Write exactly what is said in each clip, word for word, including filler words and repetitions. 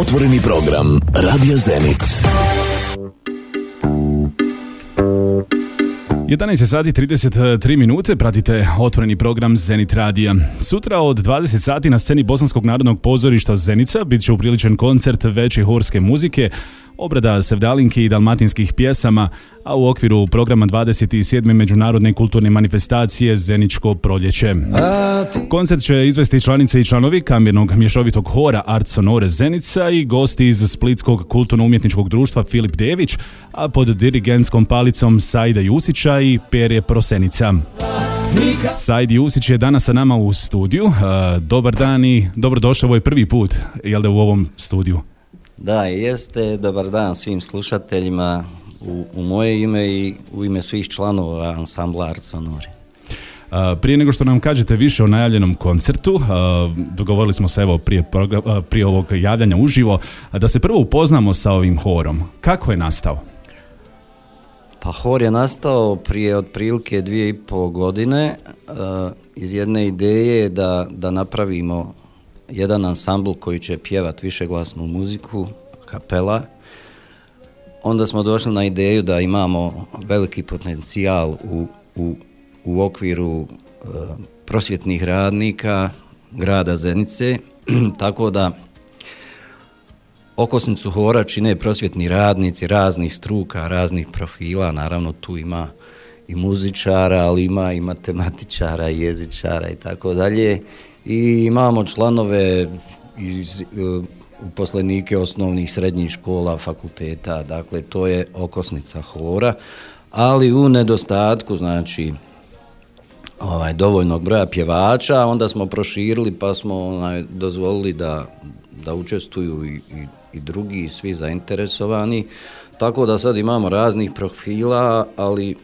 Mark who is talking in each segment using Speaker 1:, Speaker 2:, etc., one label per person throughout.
Speaker 1: Otvoreni program Radija Zenit.
Speaker 2: jedanaest sati trideset tri minute, pratite otvoreni program Zenit Radija. Sutra od dvadeset sati na sceni Bosanskog narodnog pozorišta Zenica bit će upriličen koncert veće horske muzike, obrada sevdalinki i dalmatinskih pjesama, a u okviru programa dvadeset sedme međunarodne kulturne manifestacije Zeničko proljeće. Koncert će izvesti članice i članovi kamernog mješovitog hora Art Sonore Zenica i gosti iz Splitskog kulturno-umjetničkog društva Filip Dević, a pod dirigentskom palicom Saida Jusića i Perje Prosenica. Said Jusić je danas sa nama u studiju. Dobar dan i dobrodošao, ovo je prvi put, jel da, u ovom studiju?
Speaker 3: Da, jeste. Dobar dan svim slušateljima u, u moje ime i u ime svih članova ansambla Art Sonore.
Speaker 2: Prije nego što nam kažete više o najavljenom koncertu, dogovorili smo se evo prije, prije ovog javljanja uživo da se prvo upoznamo sa ovim horom. Kako je nastao?
Speaker 3: Pa hor je nastao prije otprilike dvije i pol godine iz jedne ideje da, da napravimo jedan ansambl koji će pjevat višeglasnu muziku, kapela. Onda smo došli na ideju da imamo veliki potencijal u, u, u okviru e, prosvjetnih radnika grada Zenice, tako da okosnicu hora čine prosvjetni radnici raznih struka, raznih profila, naravno tu ima i muzičara, ali ima i matematičara, i jezičara i tako dalje. I imamo članove iz uposlenike osnovnih srednjih škola, fakulteta, dakle to je okosnica hora, ali u nedostatku znači ovaj, dovoljnog broja pjevača, onda smo proširili pa smo onaj, dozvolili da, da učestvuju i, i, i drugi, svi zainteresovani, tako da sad imamo raznih profila, ali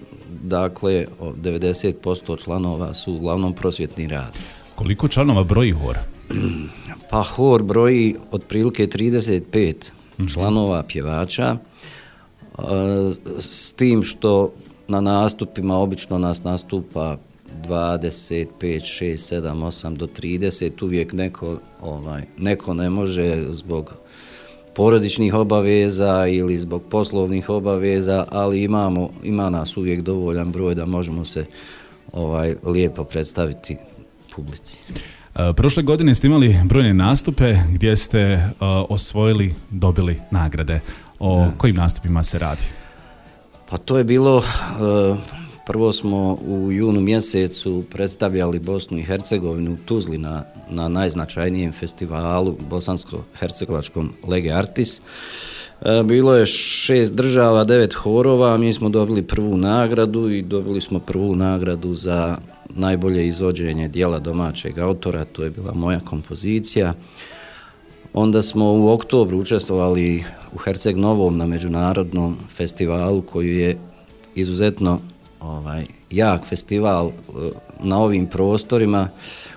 Speaker 3: dakle devedeset posto članova su uglavnom prosvjetni radnici.
Speaker 2: Koliko članova broji hor?
Speaker 3: Pa hor broji otprilike trideset pet mm-hmm. članova pjevača, s tim što na nastupima obično nas nastupa dvadeset pet, šest, sedam, osam do trideset, uvijek neko, ovaj, neko ne može zbog porodičnih obaveza ili zbog poslovnih obaveza, ali imamo, ima nas uvijek dovoljan broj da možemo se ovaj, lijepo predstaviti publici.
Speaker 2: Prošle godine ste imali brojne nastupe gdje ste uh, osvojili, dobili nagrade. O da. Kojim nastupima se radi?
Speaker 3: Pa to je bilo, uh, prvo smo u junu mjesecu predstavljali Bosnu i Hercegovinu u Tuzli na, na najznačajnijem festivalu bosansko-hercegovačkom Lege Artis. Uh, bilo je šest država, devet horova, mi smo dobili prvu nagradu i dobili smo prvu nagradu za najbolje izvođenje dijela domaćeg autora, to je bila moja kompozicija. Onda smo u oktobru učestvovali u Herceg Novom na međunarodnom festivalu koji je izuzetno ovaj, jak festival na ovim prostorima.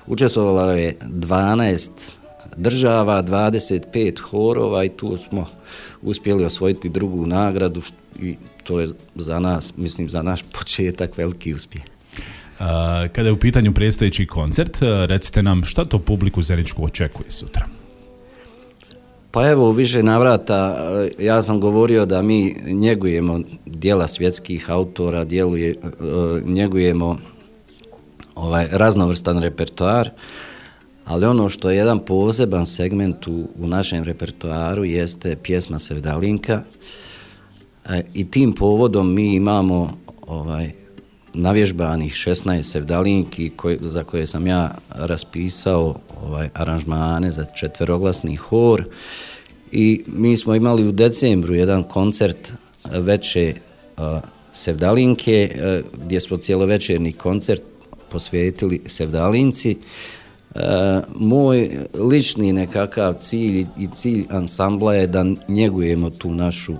Speaker 3: Učestvovalo je dvanaest država, dvadeset pet horova i tu smo uspjeli osvojiti drugu nagradu i to je za nas, mislim za naš početak veliki uspjeh.
Speaker 2: Kada je u pitanju predstojeći koncert, recite nam šta to publiku zeničku očekuje sutra?
Speaker 3: Pa evo, u više navrata ja sam govorio da mi njegujemo djela svjetskih autora, djeluje, njegujemo ovaj raznovrstan repertoar, ali ono što je jedan poseban segment u, u našem repertoaru jeste pjesma Sevdalinka i tim povodom mi imamo ovaj navježbanih šesnaest sevdalinki koje, za koje sam ja raspisao ovaj, aranžmane za četveroglasni hor i mi smo imali u decembru jedan koncert veće uh, sevdalinke uh, gdje smo cijelovečerni koncert posvetili sevdalinci. Uh, moj lični nekakav cilj i cilj ansambla je da njegujemo tu našu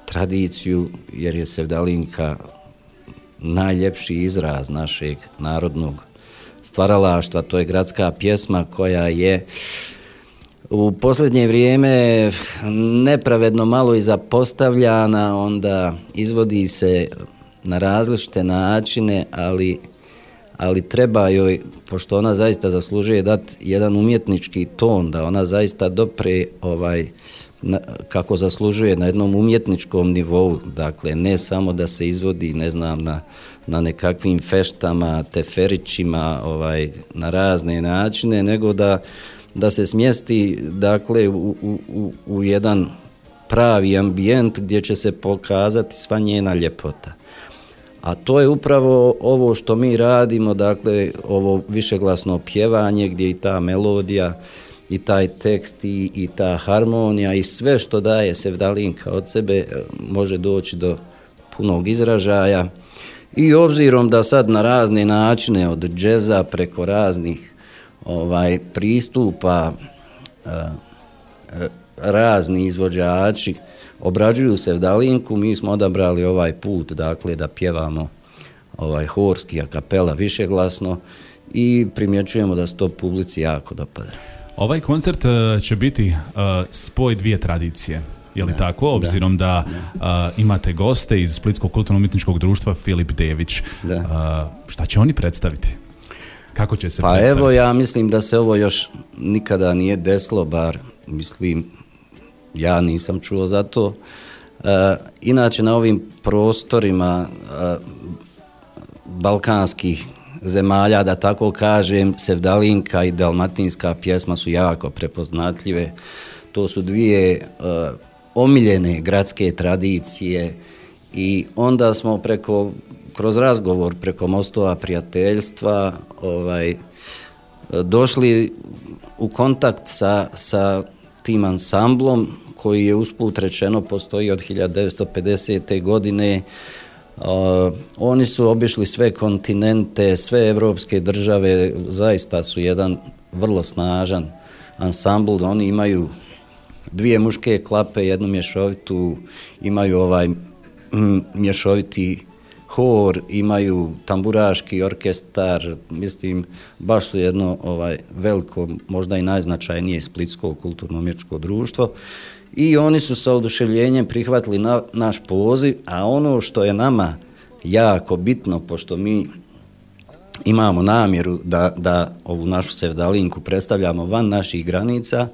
Speaker 3: tradiciju jer je sevdalinka najljepši izraz našeg narodnog stvaralaštva, to je gradska pjesma koja je u posljednje vrijeme nepravedno malo i zapostavljana, onda izvodi se na različite načine, ali ali treba joj, pošto ona zaista zaslužuje dati jedan umjetnički ton, da ona zaista dopre ovaj, na, kako zaslužuje na jednom umjetničkom nivou, dakle ne samo da se izvodi, ne znam, na, na nekakvim feštama, teferićima, ovaj, na razne načine, nego da, da se smjesti, dakle, u, u, u jedan pravi ambijent gdje će se pokazati sva njena ljepota. A to je upravo ovo što mi radimo, dakle, ovo višeglasno pjevanje gdje i ta melodija i taj tekst i, i ta harmonija i sve što daje Sevdalinka od sebe može doći do punog izražaja. I obzirom da sad na razne načine, od džeza preko raznih ovaj, pristupa, a, a, razni izvođači obrađuju Sevdalinku, mi smo odabrali ovaj put, dakle, da pjevamo ovaj horski a kapela višeglasno i primjećujemo da se to publici jako dopada.
Speaker 2: Ovaj koncert uh, će biti uh, spoj dvije tradicije, je li da, tako? Obzirom da, da uh, imate goste iz Splitskog kulturno-umjetničkog društva Filip Dević. Uh, šta će oni predstaviti? Kako će se
Speaker 3: pa
Speaker 2: predstaviti?
Speaker 3: Pa evo, ja mislim da se ovo još nikada nije desilo, bar mislim, ja nisam čuo za to. Uh, inače, na ovim prostorima uh, balkanskih zemalja, da tako kažem, Sevdalinka i dalmatinska pjesma su jako prepoznatljive. To su dvije uh, omiljene gradske tradicije i onda smo preko, kroz razgovor preko mostova prijateljstva ovaj, došli u kontakt sa, sa tim ansamblom koji je usput rečeno postoji od hiljadu devetsto pedesete. godine. Uh, oni su obišli sve kontinente, sve evropske države, zaista su jedan vrlo snažan ansambl. Oni imaju dvije muške klape, jednu mješovitu, imaju ovaj mm, mješoviti hor, imaju tamburaški orkestar, mislim, baš su jedno ovaj veliko, možda i najznačajnije Splitsko kulturno-umjetničko društvo. I oni su sa oduševljenjem prihvatili na, naš poziv, a ono što je nama jako bitno, pošto mi imamo namjeru da, da ovu našu Sevdalinku predstavljamo van naših granica,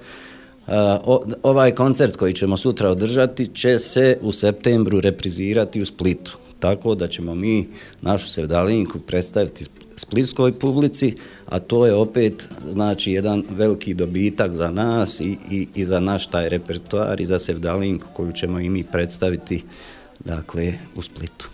Speaker 3: uh, o, ovaj koncert koji ćemo sutra održati će se u septembru reprizirati u Splitu. Tako da ćemo mi našu Sevdalinku predstaviti splitskoj publici, a to je opet znači jedan veliki dobitak za nas i, i, i za naš taj repertoar i za Sevdalinku koju ćemo i mi predstaviti, dakle, u Splitu.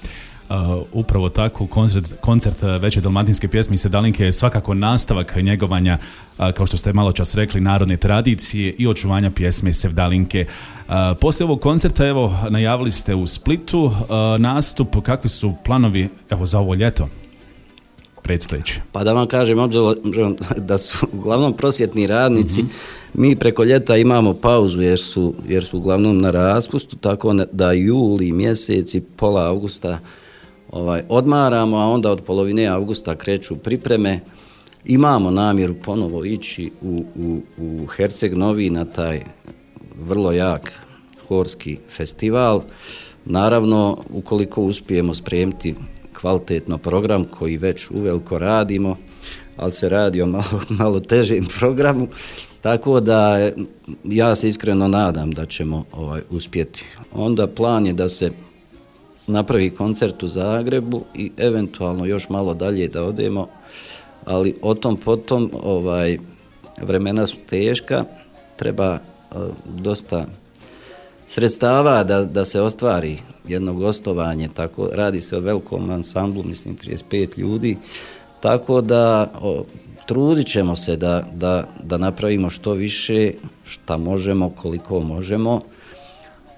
Speaker 2: Uh, upravo tako, koncert, koncert Veće dalmatinske pjesme i Sevdalinke je svakako nastavak njegovanja, uh, kao što ste malo čas rekli, narodne tradicije i očuvanja pjesme Sevdalinke. Uh, poslije ovog koncerta, evo, najavili ste u Splitu uh, nastup. Kakvi su planovi, evo, za ovo ljeto predstojeći?
Speaker 3: Pa da vam kažem, obzirom da su uglavnom prosvjetni radnici, mm-hmm. mi preko ljeta imamo pauzu jer su, jer su uglavnom na raspustu, tako da juli mjeseci, pola avgusta ovaj, odmaramo, a onda od polovine avgusta kreću pripreme. Imamo namjeru ponovo ići u, u, u Herceg Novi na taj vrlo jak horski festival. Naravno, ukoliko uspijemo spremiti kvalitetno program koji već uveliko radimo, ali se radi o malo, malo težem programu, tako da ja se iskreno nadam da ćemo ovaj, uspjeti. Onda plan je da se napravi koncert u Zagrebu i eventualno još malo dalje da odemo, ali o tom potom ovaj, vremena su teška, treba uh, dosta sredstava da, da se ostvari jedno gostovanje, tako radi se o velikom ansamblu, mislim trideset pet ljudi, tako da o, trudit ćemo se da, da, da napravimo što više, šta možemo, koliko možemo.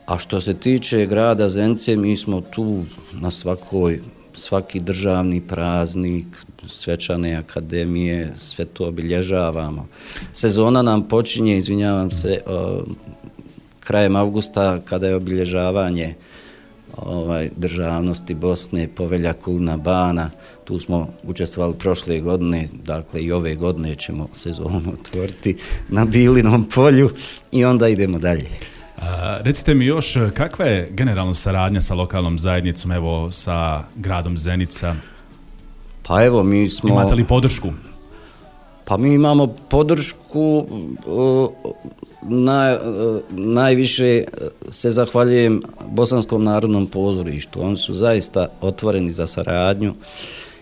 Speaker 3: A što se tiče grada Zenice, mi smo tu na svakoj, svaki državni praznik, svečane akademije, sve to obilježavamo. Sezona nam počinje, izvinjavam se, o, krajem avgusta kada je obilježavanje ovaj, državnosti Bosne, Povelja Kulina Bana. Tu smo učestvovali prošle godine, dakle i ove godine ćemo sezonu otvoriti na Bilinom polju i onda idemo dalje.
Speaker 2: A, recite mi još, kakva je generalno saradnja sa lokalnom zajednicom, evo sa gradom Zenica?
Speaker 3: Pa evo, mi smo...
Speaker 2: Imate li podršku?
Speaker 3: Pa mi imamo podršku, na, najviše se zahvaljujem Bosanskom narodnom pozorištu. Oni su zaista otvoreni za saradnju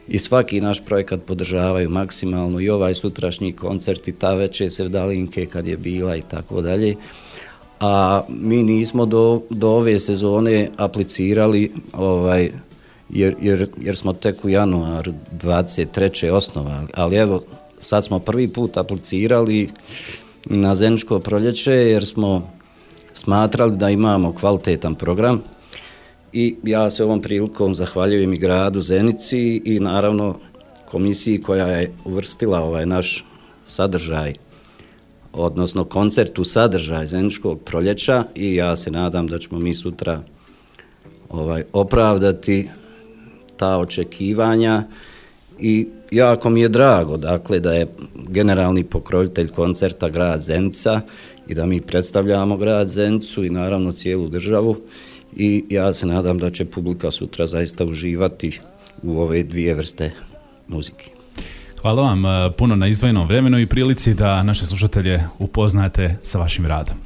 Speaker 3: i svaki naš projekat podržavaju maksimalno, i ovaj sutrašnji koncert i ta večer Sevdalinke kad je bila i tako dalje. A mi nismo do, do ove sezone aplicirali, ovaj, jer, jer, jer smo tek u januaru dvadeset treće osnovali, ali evo, sad smo prvi put aplicirali na Zeničko proljeće jer smo smatrali da imamo kvalitetan program i ja se ovom prilikom zahvaljujem i gradu Zenici i naravno komisiji koja je uvrstila ovaj naš sadržaj, odnosno koncert u sadržaj Zeničkog proljeća, i ja se nadam da ćemo mi sutra ovaj, opravdati ta očekivanja. I jako mi je drago, dakle, da je generalni pokrovitelj koncerta grad Zenica i da mi predstavljamo grad Zenicu i naravno cijelu državu, i ja se nadam da će publika sutra zaista uživati u ove dvije vrste muzike.
Speaker 2: Hvala vam puno na izdvojenom vremenu i prilici da naše slušatelje upoznate sa vašim radom.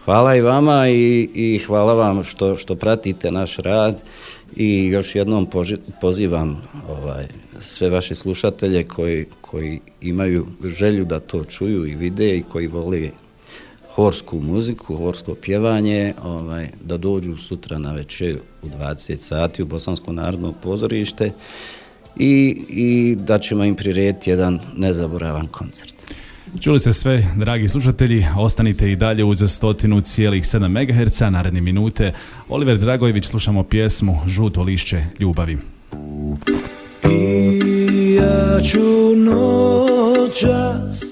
Speaker 3: Hvala i vama i, i hvala vam što, što pratite naš rad, i još jednom poži, pozivam ovaj, sve vaše slušatelje koji, koji imaju želju da to čuju i vide i koji vole horsku muziku, horsko pjevanje, ovaj, da dođu sutra na večer u dvadeset sati u Bosansko narodno pozorište i, i da ćemo im prirediti jedan nezaboravan koncert.
Speaker 2: Čuli ste sve, dragi slušatelji, ostanite i dalje uz stotinu cijelih sedam megaherca, naredne minute. Oliver Dragojević, slušamo pjesmu Žuto lišće ljubavi.
Speaker 4: I ja ću noćas